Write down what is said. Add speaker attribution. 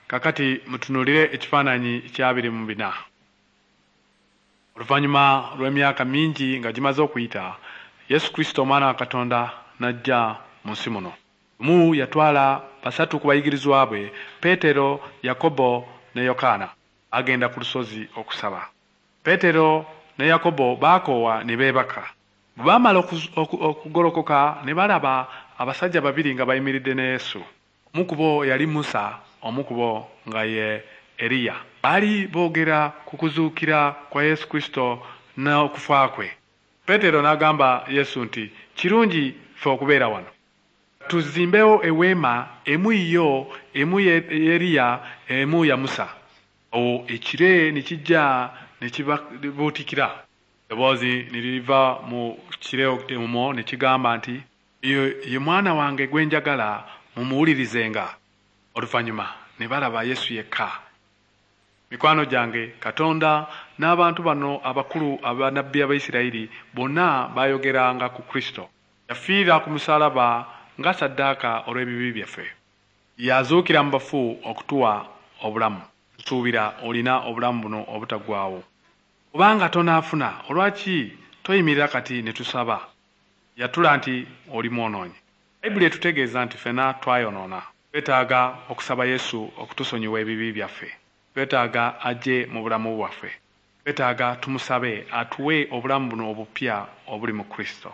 Speaker 1: Kakati mutunuulire ekifaananyi kya 24. Oluvannyuma lw'emyaka mingi nga gimaze okuyita, Yesu Kristo omwana wa Katonda n'ajja mu nsi muno. Lumu yatwala basatu ku bayigirizwa bwe, Peetero, Yakobo ne Yokaana. Baagenda ku lusozi okusaba. Peetero ne Yakobo baakoowa ne beebaka. Bwe baamala okugolokoka ne balaba abasajja babiri nga bayimiridde ne Yesu. Omu ku bo yali Musa, omu ku bo nga ye Eriya. Baali boogera ku kuzuukira kwa Yesu Kristo n'okufa kwe. Peetero n'agamba Yesu nti, "Kirungi ffe okubeera wano. Tuzimbewo eweema, emu yiyo, emu y'Eriya, emu ya Musa." Awo ekire ne kijja ne kibabuutikira. Eddoboozi ne liva mu kire omwo ne kigamba nti, "Ye mwana wange gwe njagala, mumuwulirizenga." Oluvannyuma ne balaba Yesu yekka. Mikwano gyange, Katonda n'abantu bano abakulu abannabbi Abayisirayiri bonna baayogeranga ku Kristo. Yafiira ku musaalaba nga ssaddaaka olw'ebibi byaffe. Yazuukira mu bafu okutuwa obulamu. Nsuubira olina obulamu buno obutaggwaawo. Obanga tonaafuna, olwaki toyimirira kati ne tusaba? Yatula nti oli mwonoonyi. Bayibuli etutegeeza nti ffenna twayonoona. Twetaaga okusaba Yesu okutusonyiwa ebibi byaffe. Twetaaga ajje mu bulamu bwaffe. Twetaaga tumusabe atuwe obulamu buno obupya obuli mu Kristo.